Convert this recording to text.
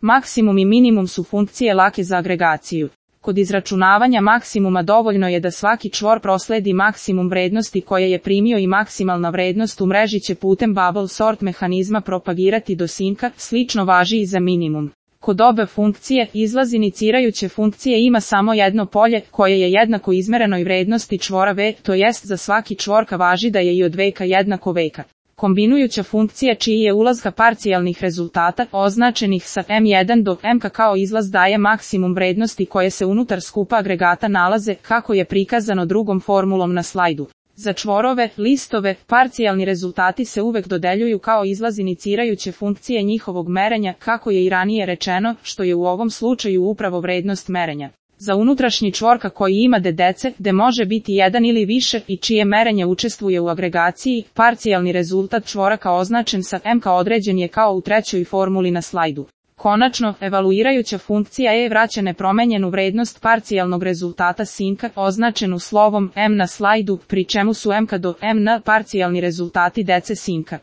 Maksimum i minimum su funkcije lake za agregaciju. Kod izračunavanja maksimuma dovoljno je da svaki čvor prosledi maksimum vrednosti koje je primio i maksimalna vrednost u mreži će putem bubble sort mehanizma propagirati do sinka, slično važi i za minimum. Kod obe funkcije, izlaz inicirajuće funkcije ima samo jedno polje, koje je jednako izmerenoj vrednosti čvora v, to jest za svaki čvorka važi da je i od veka jednako veka. Kombinujuća funkcija čiji je ulazka parcijalnih rezultata, označenih sa m1 do mk kao izlaz daje maksimum vrednosti koje se unutar skupa agregata nalaze, kako je prikazano drugom formulom na slajdu. Za čvorove, listove, parcijalni rezultati se uvek dodeljuju kao izlaz inicirajuće funkcije njihovog merenja, kako je i ranije rečeno, što je u ovom slučaju upravo vrednost merenja. Za unutrašnji čvorka koji ima dedece, gde može biti jedan ili više i čije merenje učestvuje u agregaciji, parcijalni rezultat čvoraka označen sa mk određen je kao u trećoj formuli na slajdu. Konačno, evaluirajuća funkcija e vraća nepromenjenu vrednost parcijalnog rezultata sinka, označenu slovom m na slajdu, pri čemu su mk do mn parcijalni rezultati dece sinka.